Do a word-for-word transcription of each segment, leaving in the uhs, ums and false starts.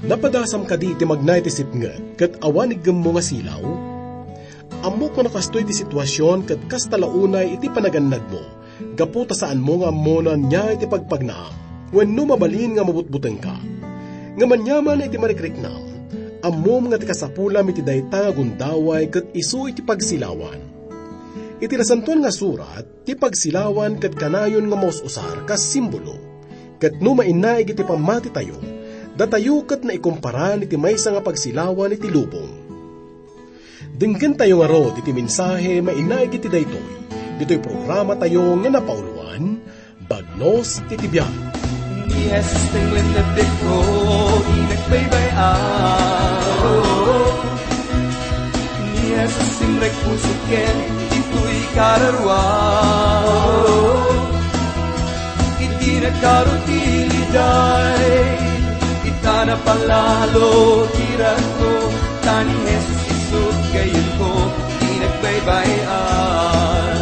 Napadasam kadi iti magna iti sipnget ket awan iggemmo nga silaw? Ammok nga nakastoy ti situasion ket kasta la unay iti panagannadmo, gapu ta saanmo nga ammo no ania iti pagpagnaam wenno mabalin nga mabutbutengka. Ngem aniaman iti marikriknam, ammom nga ti kasapulam iti dayta nga gundaway ket isu iti pagsilawan. Iti Nasantoan nga Surat, ti pagsilawan ket kanayon nga maus-usar kas simbolo. Ket no mainaig iti pammatitayo, datayo ket naikumparan iti maysa nga pagsilawan iti lubong. Denggentayo ngarud iti mensahe mainaig iti daytoy, ditoy programatayo nga napauloan, Bagnos iti Biag. Ni Jesus ti nagpigko, di nagbaybay-an. Ni Jesus ti nagpusok ken ditoy kararua. Iti nagkarutiliday, ita napalalo ti ragko, ta ni Jesus isut gayyemko, di nagbaybay-an.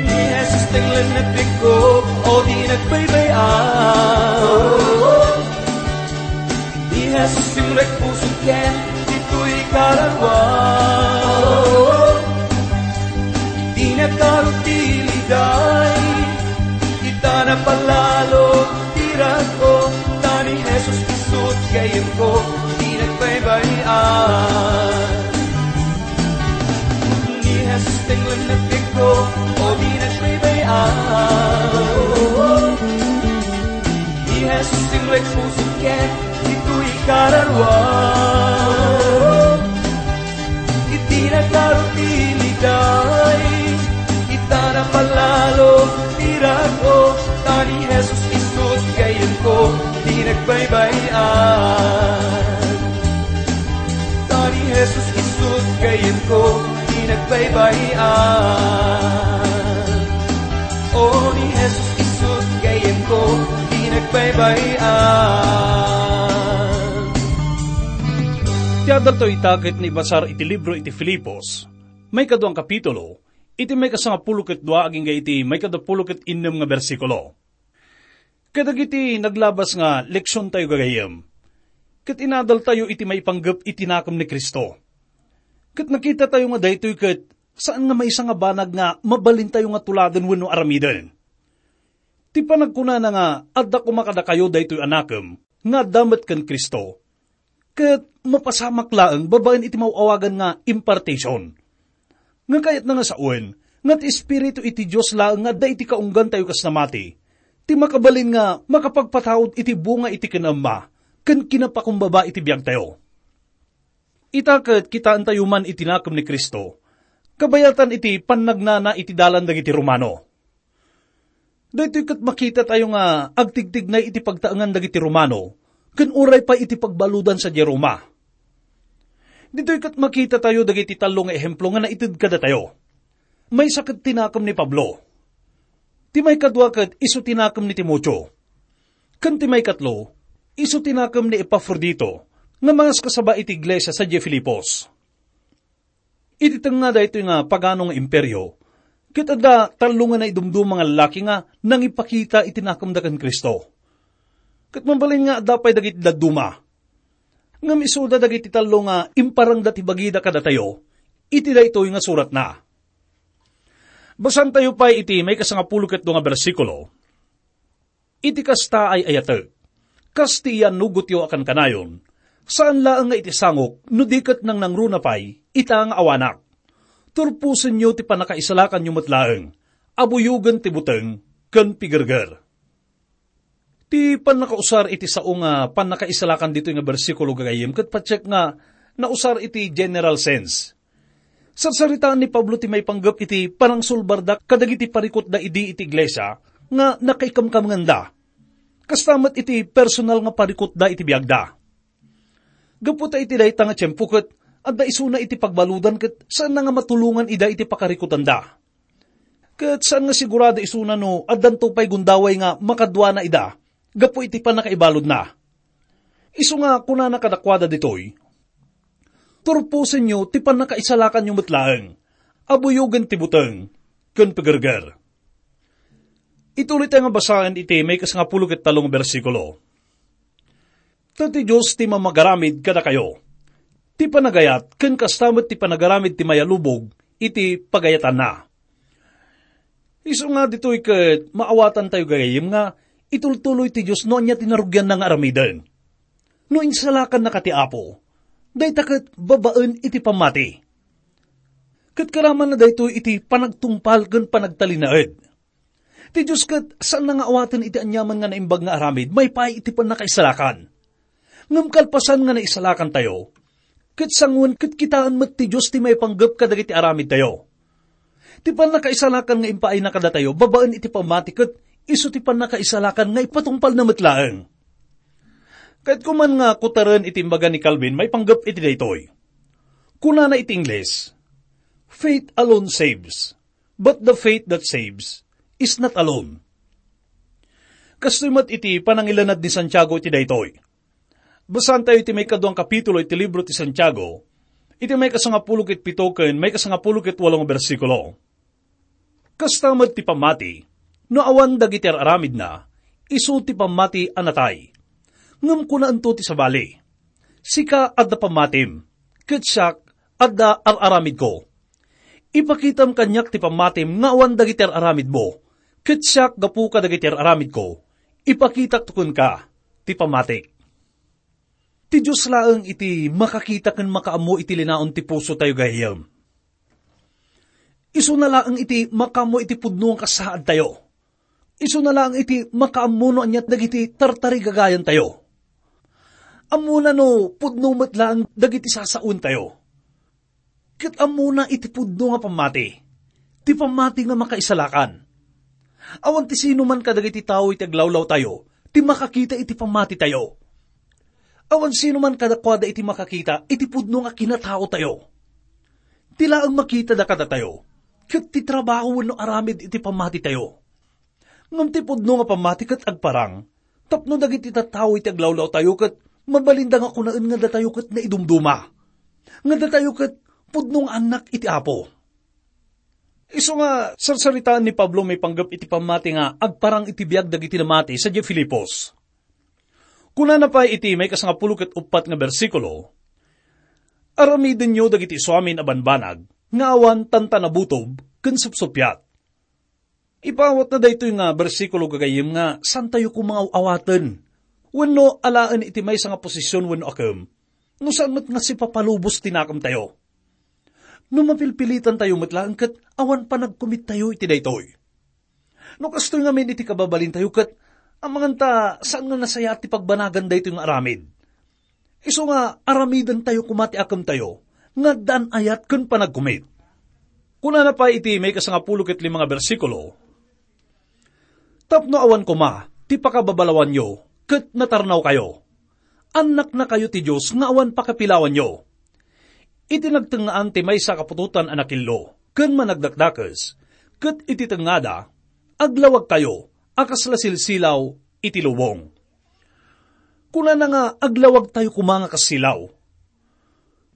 Ni Jesus ti lennepikko, o di nagbaybay-an. Ni Jesus ti nagpusok ken ditoy kararua. Di nagkarutiliday, ita napalalo ti ragko, ta ni Jesus isut gayyemko, di nagbaybay-an. Ni Jesus ti lennepikko, o di nagbaybay-an. Ni Jesus ti nagpusok ken ditoy kararua. Iti nagkarutiliday, ita napalalo ti ragko, ta ni Jesus isut gayyemko, di nagbaybay-an. Ta ni Jesus isut gayyemko, di nagbaybay-an. O ni Jesus isut gayyemko, di nagbaybay-an. Ti adaltayo ita ket naibasar iti libro iti Filipos, maikadua nga kapitulo, iti maikasangapulo ket dua agingga iti maikadapulo ket innem nga bersikulo. Kadagiti naglabas nga leksiontayo gagayyem, ket inadaltayo iti maipanggep iti nakem ni Cristo. Ket nakitatayo nga daytoy ket saan nga maysa nga banag nga mabalintayo nga tuladen wenno aramiden. Ti panagkunana nga, "Adda koma kadakayo daytoy a nakem nga adda met ken Cristo," ket mapasamak laeng babaen iti maw-awagan nga impartation. Nga kayatna nga sawen, nga ti Espiritu iti Dios laeng nga adda iti kaunggantayo kas namati, ti makabalin nga makapagpataud iti bunga iti kinamma ken kinapakumbaba iti biagtayo. Ita ket kitaentayo man iti nakem ni Cristo, kabayatan iti pannagnana iti dalan dagiti Romano. Daytoy ket makitatayo nga agtigtignay iti pagtaengan dagiti Romano, ken uray pay iti pagbaludan sadiay Roma. Ditoy ket makitatayo dagiti tallo nga ehemplo nga naited kadatayo. Maysa ket ti nakem ni Pablo. Ti maikadua ket isu ti nakem ni Timoteo. Ken ti maikatlo, isu ti nakem ni Epafrodito, nga mangaskasaba iti iglesia sadiay Filipos. Iti tengnga daytoy nga pagano nga imperio, ket adda tallo nga naidumduma nga lallaki nga nangipakita iti nakemda ken Cristo. Ket mabalin nga adda pay dagiti dadduma. Ngem isuda dagiti tallo nga imparangda ti bagida kadatayo iti daytoy nga suratna. Basaentayo pay iti maikasangapulo ket dua nga bersikulo. Iti kasta, ay-ayatek, kas ti iyannugotyo a kankanayon, saan laeng nga iti sangok no di ket nangnangruna pay ita nga awanak. Turposenyo ti pannakaisalakanyo met laeng a buyogen ti buteng ken pigerger. Ti pannakausar iti sao nga pannakaisalakan ditoy nga bersikulo gagayyem ket patiek nga nausar iti general sense. Sarsaritaen ni Pablo ti maipanggep iti panangsulbarda kadagiti parikutda idi iti iglesia nga nakaikamkamengda. Kasta met iti personal nga parikutda iti biagda. Gapu ta iti dayta nga tiempo ket adda isuna iti pagbaludan ket saanna nga matulongan ida iti pakarikutanda. Ket saan nga sigurado isuna no addanto pay gundaway nga makaduana ida gapu iti pannakaibaludna. Isu nga kunana kadakuada ditoy, "Turposenyo ti pannakaisalakanyo met laeng, a buyogen ti buteng ken pagerger." Ituloy tayo nga basaen iti maikasngapulo ket tallo nga bersikulo. Ta ti Dios ti mamagaramid kadakayo ti panagayat, ken kasta met ti panagaramid ti mayalubog iti pagayatanna. Isu nga ditoy ket maawatantayo gagayyem nga itultuloy ti Dios no ania ti narugianna nga aramiden. No insalakanna ka ti Apo, dayta ket babaen iti pammati. Ket karamanna daytoy iti panagtungpal ken panagtalinaed. Ti Dios ket saanna nga awaten iti aniaman nga naimbag nga aramid maipaay iti pannakaisalakan. Ngem kalpasan nga naisalakantayo, ket sangoen ket kitaen met ti Dios ti maipanggep kadagiti aramidtayo. Ti pannakaisalakan nga impaayna kadatayo babaen iti pammati ket isu ti pannakaisalakan nga ipatungpalna met laeng. Kayatko man nga kutaren iti imbaga ni Calvin maipanggep iti daytoy. Kunana iti Ingles, "Faith alone saves, but the faith that saves is not alone." Kastoy met iti panangilanad ni Santiago iti daytoy. Basaantayo iti maikaduang kapitulo iti libro ti Santiago, iti maikasangapulo ket pito ken maikasangapulo ket walo nga bersikulo. Kasta met ti pammati, no awan dagiti ar-aramidna, isu ti pammati a natay. Ngem kunaento ti sabali, "Sika adda pammatim, ket siak adda ar-aramidko. Ipakitam kaniak ti pammatim nga awan dagiti ar-aramidmo, ket siak gapu kadagiti ar-aramidko, ipakitakto kenka ti pammatik." Ti Dios laeng iti makakita ken makaammo iti linaon ti pusotayo, gayyem. Isuna laeng iti makaammo iti pudno nga kasaadtayo. Isuna laeng iti makaammo no ania dagiti tartarigagayantayo. Ammona no pudno met laeng dagiti sasaontayo. Ket ammona iti pudno nga pammati, ti pammati nga makaisalakan. Awan ti sino man kadagiti tao iti aglawlawtayo ti makakita iti pammatitayo. Awan sino man kadakuada iti makakita iti pudno nga kinataotayo. Ti laeng makitada kadatayo, ket ti trabaho wenno aramid iti pammatitayo. Ngem ti pudno nga pammati ket agparang tapno dagiti tattao iti aglawlawtayo ket mabalinda nga kunaen nga datayo ket naidumduma, nga datayo ket pudno nga annak iti Apo. Isu nga sarsaritaen ni Pablo maipanggep iti pammati nga agparang iti biag dagiti namati sadiay Filipos. Kunana pay iti maikasangapulo ket uppat nga bersikulo, "Aramidenyo dagiti isuamin a banbanag nga awan tantanabutob ken supsuppiat." Ipaawatna daytoy nga bersikulo, gagayyem, nga saantayo koma nga aw-awaten wenno alaen iti maysa nga posisyon wenno akem, no saan met nga sipapalubos ti nakemtayo. No mapilpilitantayo met laeng ket awan panagkumittayo iti daytoy. No kastoy ngamin iti kababalintayo ket amangan ta saan nga nasayaat ti pagbanagan daytoy nga aramid. Isu nga aramidentayo koma ti akemtayo nga addaan ayat ken panagkumit. Kunana pay iti maikasangapulo ket lima nga bersikulo, "Tapno awan koma ti pakababalawanyo ket natarnawkayo, annaknakayo ti Dios nga awan pakapilawanyo. Iti nagtengngaan ti maysa a kaputotan a nakillo ken managdakdakes, ket iti tengngada, aglawagkayo a kasla silsilaw iti lubong." Kunana nga aglawagtayo koma nga kas silaw.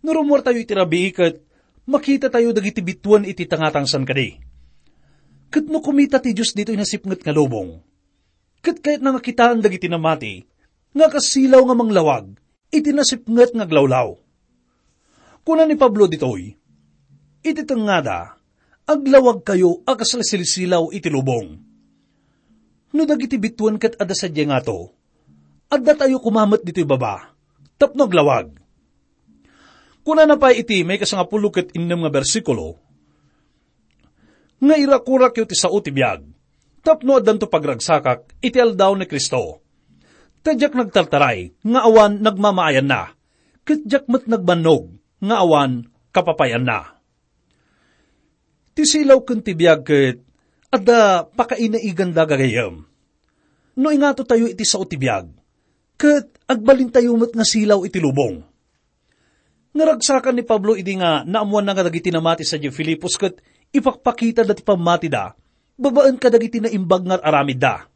No rummuartayo iti rabii ket makitatayo dagiti bituen iti tangatangsan kadi. Ket no kumita ti Dios ditoy nasipnget nga lubong, ket kayatna nga kitaen dagiti namati nga kas silaw nga manglawag iti nasipnget nga aglawlaw. Kuna ni Pablo ditoy, "Iti tengngada, aglawagkayo a kasla silsilaw iti lubong." No dagiti bituen ket adda sadiay ngato, addatayo koma met ditoy baba tapno aglawag. Kunana pay iti maikasangapulo ket innem nga bersikulo, nga irakurakyo ti sao ti biag, tapno addanto pagragsakak iti aldaw ni Cristo. Ta diak nagtartaray nga awan nagmamaayanna, ket diak met nagbannog nga awan kapapay-anna. Ti silaw ken ti biag ket adda pakainaiganda, gagayyem. No ingatotayo iti sao ti biag, ket agbalintayo met nga silaw iti lubong. Naragsakan ni Pablo idi nga naammoanna nga dagiti namati sadiay Filipos ket ipakpakita da ti pammatida babaen kadagiti naimbag nga ar-aramidda.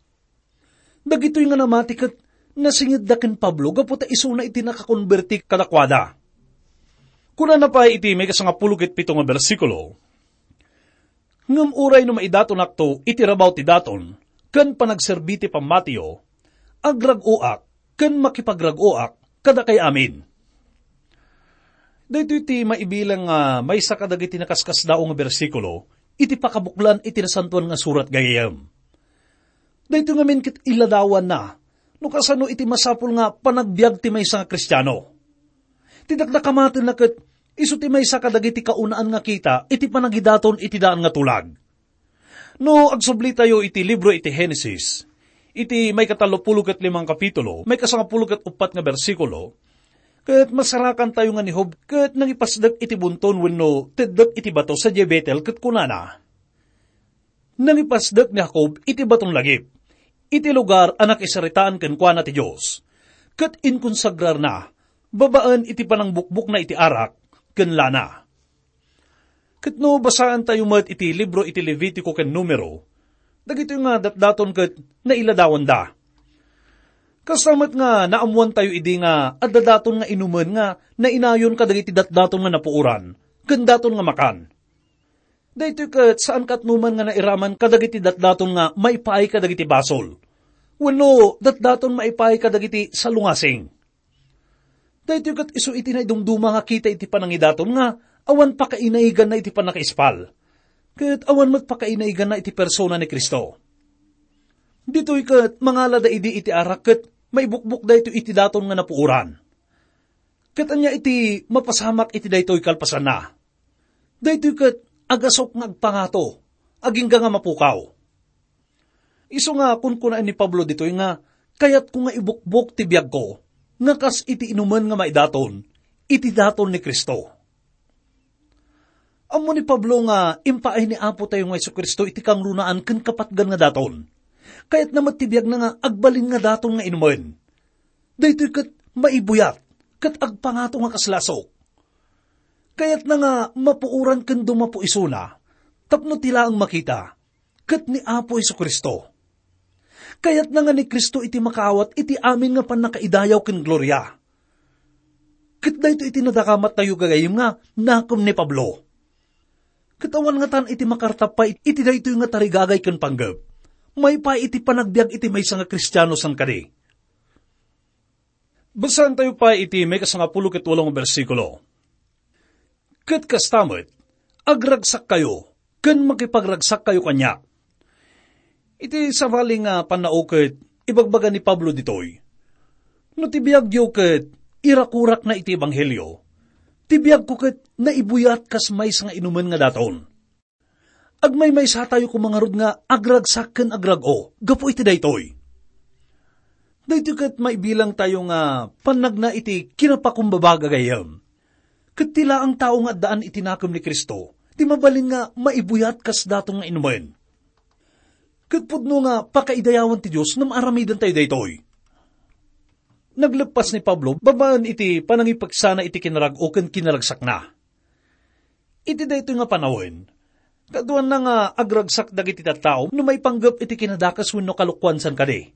Dagitoy nga namati ket nasingedda ken Pablo gapu ta isuna iti nakakonberti kadakuada. Kunana pay iti maikasangapulo ket pito nga bersikulo, "Ngem uray no maidatonakto iti rabaw ti daton ken panagserbi ti pammatiyo, agrag-oak ken makipagrag-oak kadakay amin." Daytoy ti maibilang nga maysa kadagiti nakaskasdaaw nga bersikulo iti pakabuklan iti Nasantoan nga Surat gayam. Daytoy ngamin ket iladawanna no kasano iti masapul nga panagbiag ti maysa nga Kristiano. Ti dakdakamatenna ket isu ti maysa kadagiti kaunaan nga kita iti panagidaton iti daan nga tulag. No agsublitayo iti libro iti Genesis, iti maikatallopulo ket limang kapitulo, maikasangapulo ket uppat nga bersikulo, ket masarakantayo nga ni Job ket nangipasdek iti bunton wenno teddek iti bato sadiay Betel ket kunana, "Nangipasdek ni Jacob iti baton lagip, iti lugar a nakisaritaan kenkuana ti Dios, ket inkonsagrarna babaen iti panangbukbokna iti arak ken lana." Ket no basaantayo met iti libro iti Levitico ken Numero, dagitoy nga datdaton ket nailadawanda. Kasta met nga naammoantayo idi nga adda daton nga inumen nga nainayon kadagiti datdaton nga napuoran ken daton nga makan. Daytoy ket saan katnoman nga nairaman kadagiti datdaton nga maipaay kadagiti basol, wenno datdaton maipaay kadagiti salungasing. Daytoy ket isu iti naidumduma nga kita iti panangidaton nga awan pakainaiganna iti pannakaispal, ket awan met pakainaiganna iti persona ni Cristo. Ditoy ket mangalada idi iti arak ket maibukbok daytoy iti daton nga napuoran. Ket ania iti mapasamak iti daytoy kalpasanna? Daytoy ket agasok nga agpangato, agingga nga mapukaw. Isu nga kunkunaan ni Pablo ditoy nga, "Kayatko nga ibukbok ti biagko, nga kas iti inumen nga maidaton, iti daton ni Cristo." Ammo ni Pablo nga impaay ni Apotayo nga Jesu-Cristo iti kangrunaan ken kapatgan nga daton. Kayatna met ti biagna nga agbalin nga daton nga inumen. Daytoy ket maibuyat, ket agpangato nga kaslasok. Kayatna nga mapuoran ken dumapo isuna, tapno ti laeng makita, ket ni Apo Jesu-Cristo. Kayatna nga ni Cristo iti makaawat iti amin nga pannakaidayaw ken gloria. Ket daytoy iti nadakamattayo gagayyem nga nakem ni Pablo. Ket awan ngatan iti makartap pay iti daytoy nga tarigagay ken panggep. Maipaay iti panagbiag iti maysa nga Kristiano san kadi. Basaentayo pay iti maikasangapulo ket walo nga bersikulo. Ket kasta met, agragsakkayo ken makipagragsakkayo kaniak. Iti sabali nga pannao ket ibagbaga ni Pablo ditoy, "No ti biagyo ket irakurakna iti ebanghelio, ti biagko ket naibuyat kas maysa nga inumen nga daton." Agmaymaysatayo koma ngarud nga agragsak ken agrag-o gapu iti daytoy. Daytoy ket maibilangtayo nga pannagna iti kinapakumbaba, gagayyem. Ket ti laeng tao nga addaan iti nakem ni Cristo ti mabalin nga maibuyat kas daton nga inumen. Ket pudno nga pakaidayawan ti Dios no maaramidantayo daytoy. Nagleppas ni Pablo babaen iti panangipeksana iti kinarag-o ken kinaragsakna. Iti daytoy nga panawen, kaduanna nga agragsak dagiti tattao no maipanggep iti kinadakes wenno kalokuan san kadi.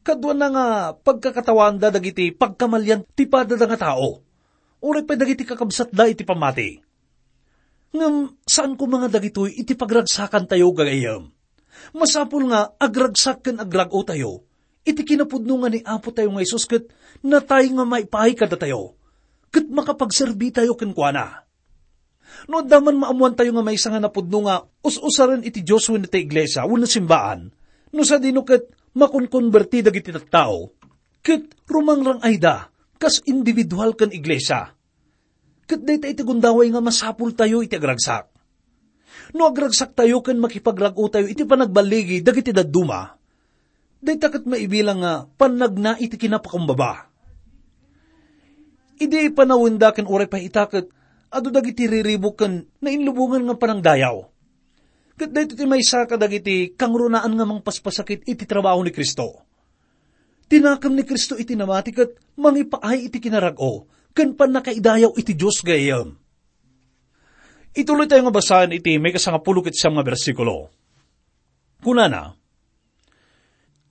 Kaduanna nga pagkakatawanda dagiti pagkamalian ti padada nga tao, uray pay dagiti kakabsatda iti pammati. Ngem saan koma nga dagitoy iti pagragsakantayo, gagayyem. Masapul nga agragsak ken agrag-otayo iti kinapudno nga ni Apotayo nga Jesus ket natay nga maipaay kadatayo, ket makapagserbitayo kenkuana. No adda man maammoantayo nga maysa nga napudno nga us-usaren iti Dios wenno ti iglesia wenno simbaan, no sadino ket makonkonberti dagiti tattao, ket rumangrang-ayda kas individual ken iglesia. Ket dayta iti gundaway nga masapultayo iti agragsak. No agragsaktayo ken makipagrag-otayo iti panagballigi dagiti dadduma, dayta ket maibilang nga pannagna iti kinapakumbaba. Idi panawenda ken uray pay ita ket adu dagiti riribuk ken nainlubongan nga panangdayaw. Ket daytoy ti maysa kadagiti kangrunaan nga mangpaspasakit iti trabaho ni Cristo. Ti nakem ni Cristo iti namati ket mangipaay iti kinarag-o ken pannakaidayaw iti Dios gayam. Ituloy tayo nga basaen iti maikasangapulo ket siam nga bersikulo. Kunana,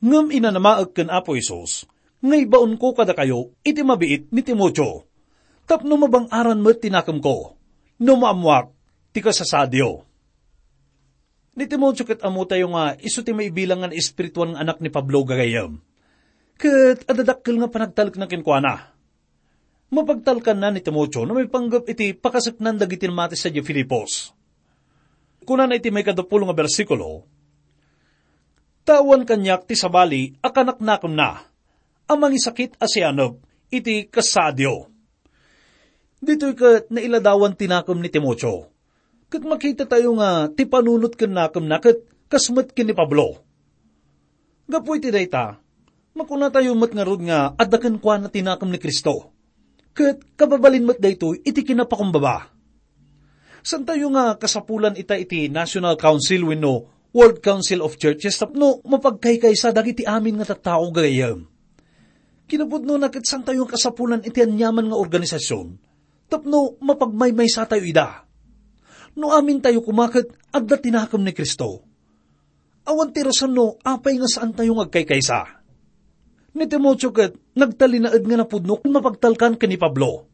"Ngem inanamaek ken Apo Jesus nga ibaonko kadakayo iti mabiit ni Timoteo, tapno mabang-aran met ti nakemko, no maammoak ti kasasaadyo." Ni Timoteo ket ammotayo nga isu ti maibilang nga naespirituan nga anak ni Pablo gagayyem. Ket adda dakkel nga panagtalekna kenkuana. Mapagtalkanna ni Timoteo no maipanggep iti pakaseknan dagiti namati sadiay Filipos. Kunana iti maikaduapulo nga bersikulo, "Ta awan kaniak ti sabali a kanaknakemna a mangisakit a sianep iti kasaadyo." Ditoy ket nailadawan ti nakem ni Timoteo. Ket makitatayo nga ti panunot ken nakemna ket kas met ken ni Pablo. Gapu iti dayta, makunatayo met ngarud nga adda kenkuana ti nakem ni Cristo, ket kababalin met daytoy iti kinapakumbaba. Santayo nga kasapulan ita iti National Council wenno World Council of Churches tapno mapagkaykaysa dagiti amin nga tattao gagayyem. Kinapudnona ket santayo nga kasapulan iti aniaman nga organisasyon tapno mapagmaymaysatayo ida. No amintayo koma ket adda ti nakem ni Cristo, awan ti rason no apay nga saantayo nga agkaykaysa. Ni Timoteo ket nagtalinaed nga napudno ken mapagtalkan ken ni Pablo.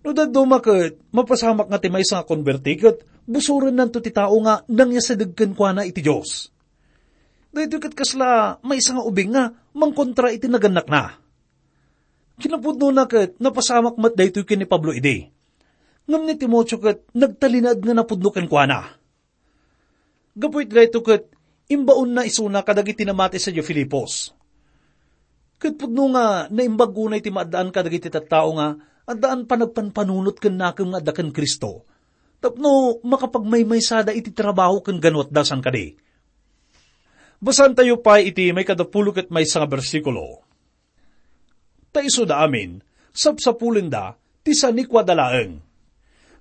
No dadduma ket mapasamak nga ti maysa nga konberti ket busorennanto ti tao nga nangyasideg kenkuana iti Dios. Daytoy ket kasla maysa nga ubing nga mangkontra iti nagannakna. Kinapudnona ket napasamak met daytoy ken ni Pablo idi. Ngem ni Timoteo ket nagtalinaed nga napudno kenkuana. Gapu iti daytoy ket imbaonna isuna kadagiti namati sadiay Filipos. Ket pudno nga naimbag unay ti maaddaan kadagiti tattao nga addaan panagpanpanunot ken nakem nga adda ken Cristo, tapno makapagmaymaysada iti trabaho ken ganuatda san kadi. Basaentayo pay iti maikaduapulo ket maysa nga bersikulo. Ta isuda amin, sapsapulenda ti sanikuada laeng,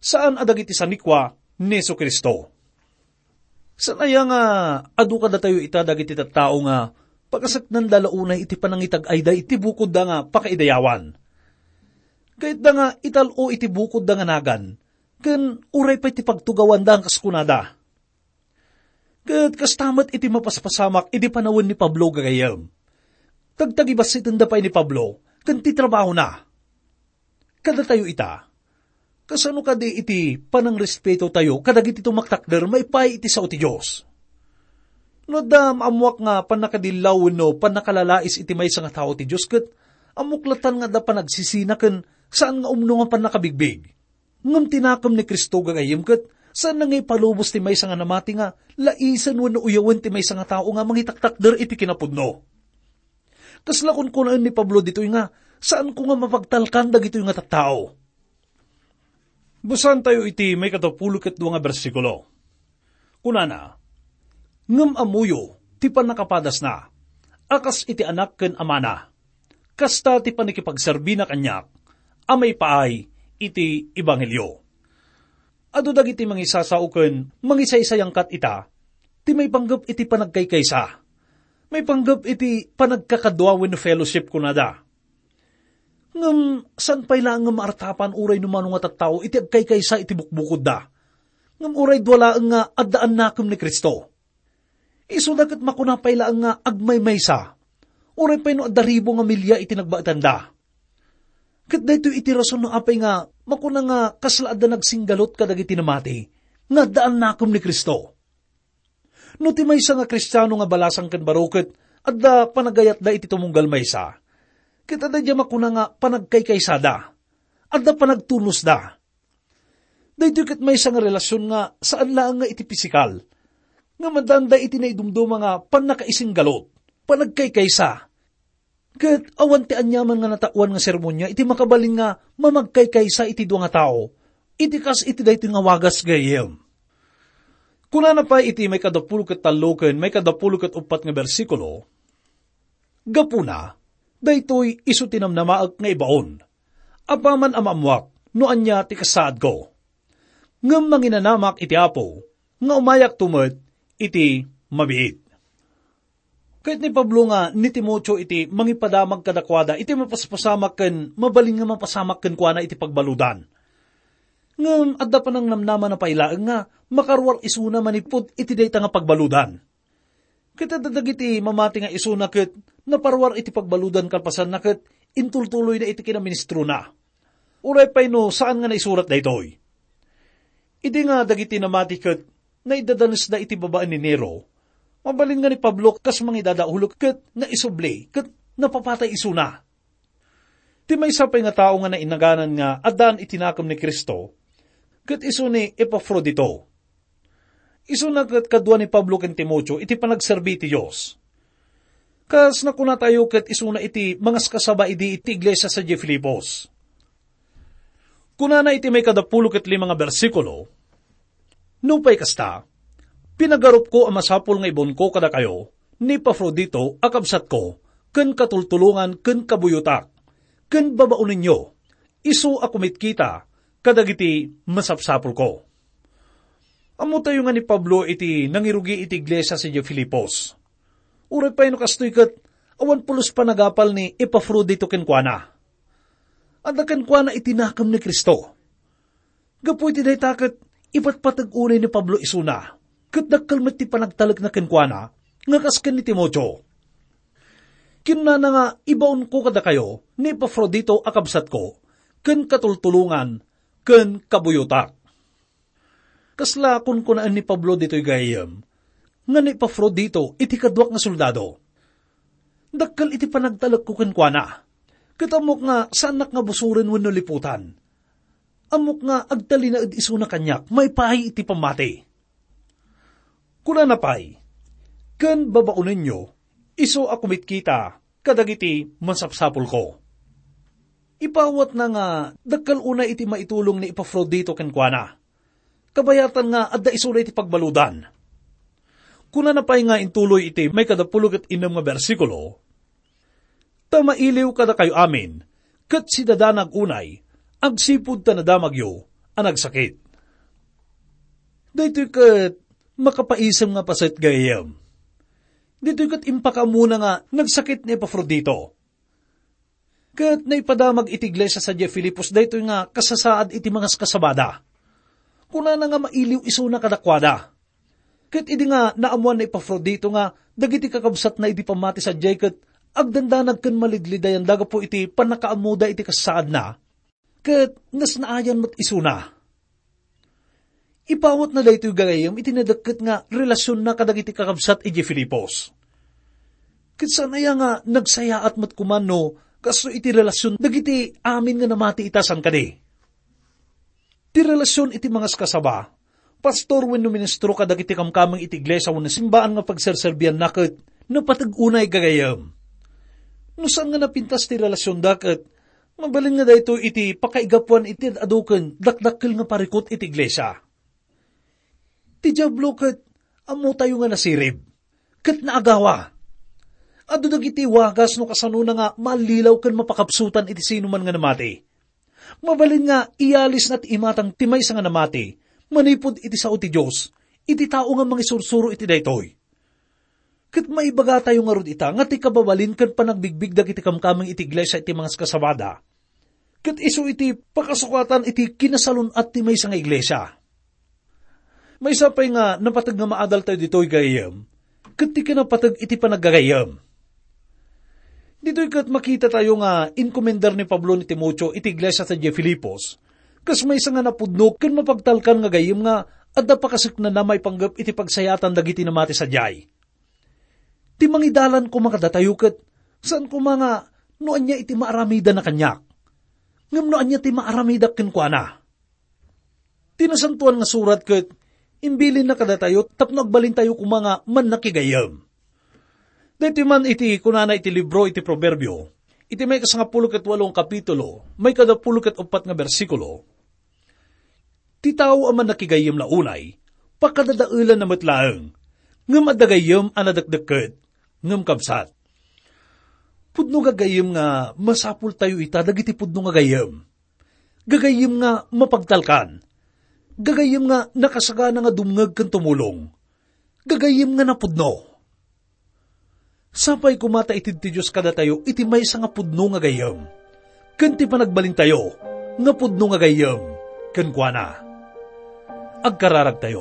saan a dagiti sanikua ni Jesu-Cristo. Saan aya nga adu kadatayo ita dagiti tattao nga pakaseknanda la unay iti panangitag-ayda iti bukodda nga pakaidayawan? Kayatda nga ital-o iti bukodda nga nagan, ken uray pay ti pagtugawanda nga kas kunada. Ket kasta met iti mapaspasamak idi panawen ni Pablo gagayyem. Tagtagibassitenda pay ni Pablo ken ti trabahona. Kadatayo ita, kasano kadi iti panangrespeto tayo kadagiti tumaktakder maipaay iti sao ti Dios? No adda maammoak nga pannakadillaw wenno pannakalalais iti maysa nga tao ti Dios ket ammok latan nga adda panagsisina ken saan nga umno nga pannakabigbig. Ngem ti nakem ni Cristo gagayyem ket saanna nga ipalubos ti maysa nga namati nga laisen wenno uyawen ti maysa nga tao nga mangitaktakder iti kinapudno. Kasla kunkunaen ni Pablo ditoy nga, "Saanko nga mapagtalkan dagitoy nga tattao." Basaentayo iti maikatapulo ket dua nga bersikulo. Kunana, "Ngem ammoyo ti pannakapadasna, a kas iti anak ken amana. Kasta ti pannakipagserbina kaniak a maipaay iti ebanghelio." Adu dagiti mangisasao ken mangisaysayangkat ita ti maipanggep iti panagkaykaysa, maipanggep iti panagkakadua wenno fellowship, kunada. Ngem saan pay laeng nga maartapan uray no mano nga tattao iti agkaykaysa iti bukbukodda. Ngem uray dua laeng nga addaan nakem ni Cristo. Isuda ket makuna pay laeng nga agmaymaysa, uray pay no adda ribu nga milia iti nagbaetanda. Ket daytoy iti rason no apay nga makuna nga kasla adda nagsinggalut kadagiti namati nga addaan nakem ni Cristo. No ti maysa nga Kristiano nga balasang ken baro ket adda panagayatda iti tumunggal maysa, ket adda diay makuna nga panagkaykaysada, adda panagtunosda. Daytoy ket maysa nga relasion nga saan laeng nga iti pisikal, nga madanda iti naidumduma nga pannakaisinggalut, panagkaykaysa. Ket awan ti aniaman nga nataoan nga sermonia iti makabalin nga mamagkaykaysa iti dua nga tao, iti kas iti daytoy nga wagas gayem. Kunana pay iti maikadapulo ket tallo ken maikadapulo ket uppat nga bersikulo, "Gapuna, daytoy isu ti namnamaek nga ibaon, apaman a maammoak no ania ti kasaadko. Ngem manginanamak iti Apo nga umayakto met iti mabiit." Kayat ni Pablo nga ni Timoteo iti mangipadamag kadakuada iti mapaspasamak ken mabalin nga mapasamak kenkuana iti pagbaludan. Ngem adda panangnamnamana pay laeng nga makaruar isuna manipud iti dayta nga pagbaludan. Ket adda dagiti mamati nga isuna ket naparuar iti pagbaludan kalpasanna ket intultuloyna iti kinaministrona. Uray pay no saan nga naisurat daytoy. Idi nga dagiti namati ket naidadanesda iti babaen ni Nero, mabalin nga ni Pablo kas mangidadaulok ket naisubli ket napapatay isuna. Ti maysa pay nga tao nga nainaganan nga addaan iti nakem ni Cristo, ket isu ni Epafrodito. Isuna ket kadua ni Pablo ken Timoteo iti panagserbi ti Dios. Kas nakunatayo ket isuna iti mangaskasaba idi iti iglesia sadiay Filipos. Kunana iti maikadapulo ket lima nga bersikulo, "Nupay kasta, pinagarupko a masapul nga ibunko kadakayo ni Epafrodito a kabsatko ken katultulongan ken kabuyotak, ken babaonenyo, isu a kumitkita kadagiti masapsapulko." Ammotayo nga ni Pablo iti nangirugi iti iglesia sadiay Filipos. Uray pay no kastoy ket awan pulos panagapal ni Epafrodito kenkuana. Adda kenkuana iti nakem ni Cristo. Gapu iti dayta ket ipatpateg unay ni Pablo isuna, ket dakkel met ti panagtalekna kenkuana nga kas ken ni Timoteo. Kinunana nga, "Ibaonko kadakayo ni Epafrodito a kabsatko, ken katultulongan, ken kabuyotak." Kasla kunkunaen ni Pablo ditoy gayyem, nga ni Epafrodito iti kaduak nga soldado. Dakkel iti panagtalekko kenkuana, ket ammok nga saannak nga busoren wenno liputan. Ammok nga agtalinaed isuna kaniak maipaay iti pammati. Kunana pay, "Ken babaonenyo, isu a kumitkita kadagiti masapsapulko." Ipawatna nga dakkel unay iti maitulong ni Epafrodito kenkuana, kabayatan nga adda isuna iti pagbaludan. Kunana pay nga intuloy iti maikadapulo ket innem nga bersikulo, "Ta mailiw kadakayo amin, ket sidadanag unay, agsipud ta nadamagyo a nagsakit." Daytoy ket makapaisem nga paset, gayyem. Ditoy ket impakaamuna nga nagsakit ni Epafrodito. Ket naipadamag iti iglesia sadiay Filipos daytoy nga kasasaad iti mangaskasabada. Kunana nga mailiw isuna kadakuada. Ket idi nga naammuan ni Epafrodito nga dagiti kakabsatna idi pammati sadiay ket agdandanag ken malidlidayanda gapu iti pannakaammoda iti kasasaadna, ket nasnaayan met isuna. Ipawatna daytoy gagayyem iti nadakket nga relasionna kadagiti kakabsat idiay Filipos. Ket saan aya nga nagsayaat met koma no kastoy iti relasion dagiti amin nga namati ita, saan kadi? Ti relasion iti mangaskasaba, pastor wenno ministro kadagiti kamkameng iti iglesia wenno simbaan nga pagserserbianna ket napateg unay gagayyem. No saan nga napintas ti relasionda ket mabalin nga daytoy iti pakaigapuan iti ad-adu ken dakdakkel nga parikut iti iglesia. Ti Diablo ket ammotayo nga nasirib ket naagawa. Adu dagiti wagas no kasanona nga mallilaw ken mapakabsotan iti sinuman nga namati. Mabalin nga iyalisna ti imatang ti maysa nga namati manipud iti sao ti Dios iti tao nga mangisursuro iti daytoy. Ket maibagatayo ngarud ita nga ti kababalin ken panagbigbig dagiti kamkameng iti iglesia iti mangaskasabada ket isu iti pakasukatan iti kinasalun-at ti maysa nga iglesia. Maysa pay nga napateg nga maadaltayo ditoy gagayyem ket ti kinapateg iti panagagayyem. Ditoy ket makitatayo nga inkomendar ni Pablo ni Timoteo iti iglesia sadiay Filipos kas maysa nga napudno ken mapagtalkan nga gayyem nga adda pakaseknana maipanggep iti pagsayaatan dagiti namati sadiay. Ti mangidalan koma kadatayo ket saan koma nga no ania iti maaramidana kaniak, ngem no ania ti maaramidak kenkuana. Ti Nasantoan nga Surat ket imbilinna kadatayo tapno agbalintayo koma nga mannakigayyem. Daytoy man iti kunana iti libro iti Proverbio, iti maikasangapulo ket walo nga kapitulo, maikadapulo ket uppat nga bersikulo, "Ti tao a mannakigayyem la unay, pakadadaelanna met laeng, ngem adda gayyem a nadekdekket, ngem kabsat." Pudno nga gayyem nga masapultayo ita dagiti pudno nga gayyem. Gagayyem nga mapagtalkan. Gagayyem nga nakasagana nga dumngeg ken tumulong. Gagayyem nga napudno. Sapay koma ta itedto ti Dios kadatayo iti maysa nga pudno nga gayyem, ken ti panagbalintayo nga pudno nga gayyem kenkuana. Agkararagtayo.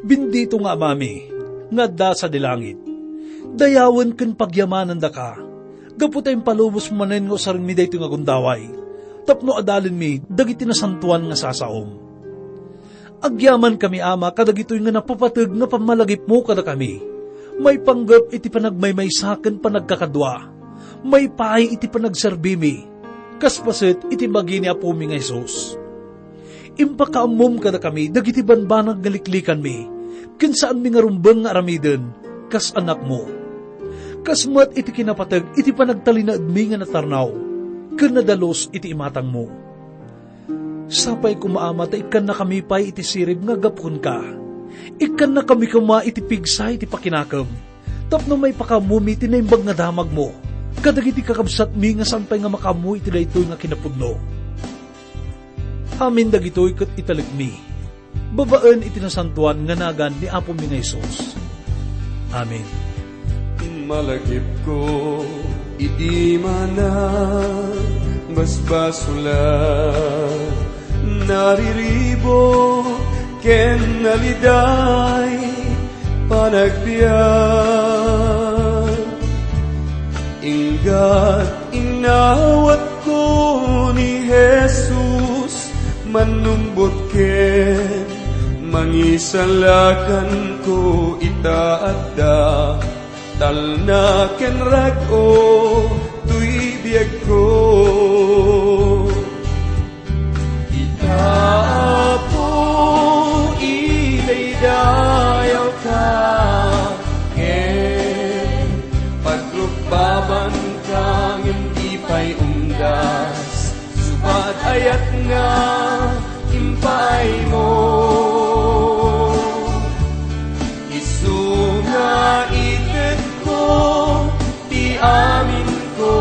Bendito nga Amami, nga adda sadi langit, dayawen ken pagyamanandaka, gapu ta impalubos manen nga usarenmi daytoy nga gundaway, tapno adalenmi dagiti nasantoan nga sasaom. Agyamankami, Ama, kadagitoy nga napapateg nga pammalagipmo kadakami, maipanggep iti panagmaymaysa ken panagkakadua, maipaay iti panagserbimi, kas paset iti bagi ni Apomi nga Jesus. Impakaammom kadakami dagiti banbanag nga liklikanmi, ken saanmi nga rumbeng nga aramiden kas anakmo. Kas met iti kinapateg iti panagtalinaedmi nga natarnaw ken nadalus iti imatangmo. Sapay koma, Ama, ta ikkannakami pay iti sirib nga aggapu kenka. Ikkannakami koma iti pigsa iti pakinakem, tapno maipakaammomi ti naimbag nga damagmo kadagiti kakabsatmi nga saan pay nga makaammo iti daytoy nga kinapudno. Amin dagitoy ket italekmi babaen iti nasantoan nga nagan ni Apomi nga Jesus. Amen. Malagipko idi manangbasbasulat, nariribuk ken naliday panagbiag. Inggat inawatko ni Jesus, mannumbot ken mangisalakanko ita adda talna ken rag-o toy biagko. Ita, Apo, idaydayawka ken pagrukbabanka ngem di pay unggas, subat ayat nga impaaymo. Isu nga itedko ti aminko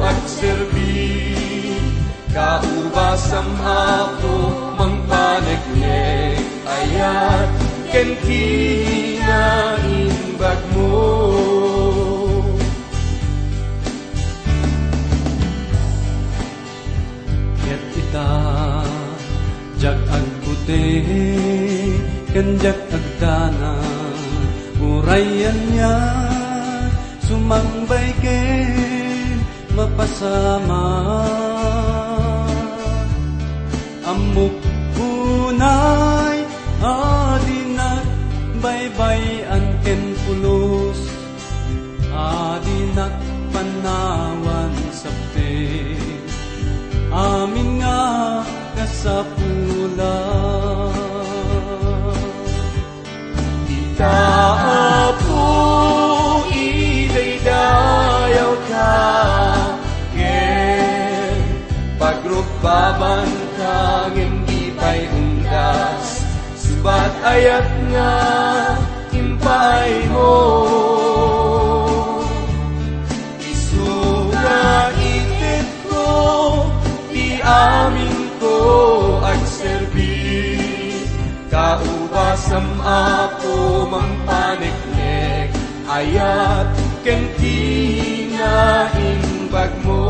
agserbi. Kaubasam, Apo, mangpaneknek, ayat ken kinaimbagmo. Ket ita, diak agbuti ken diak agdanag, uray ania, sumangbay ken mapasamak. Ammok unay a dinak baybay-an ken pulos, a dinak panawan sapte amin nga kasapulan. Ita, Apo, idaydayawka ken pagrukbabanka ngem di pay unggas, subat ayat nga impaaymo. Isu nga itedko ti aminko agserbi. Kaubasam, Apo, mangpaneknek, ayat ken kinaimbagmo.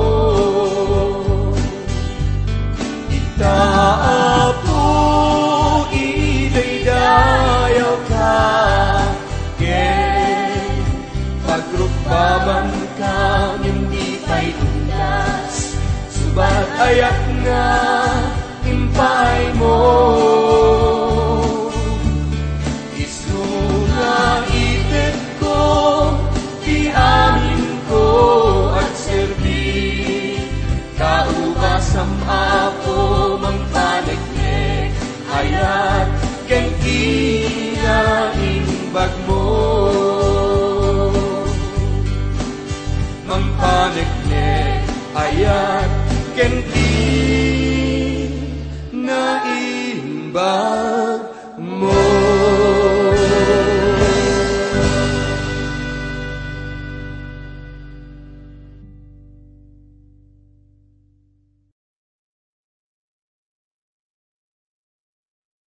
Ita, Apo, idaydayawka ken pagrukbabanka ngem di pay unggas, subat ayat nga impaaymo. Isu nga itedko ti aminko agserbi. Kaubasam, Apo, mangpaneknek, ayat ken kinaimbagmo. Mangpaneknek, ayat ken kinaimbag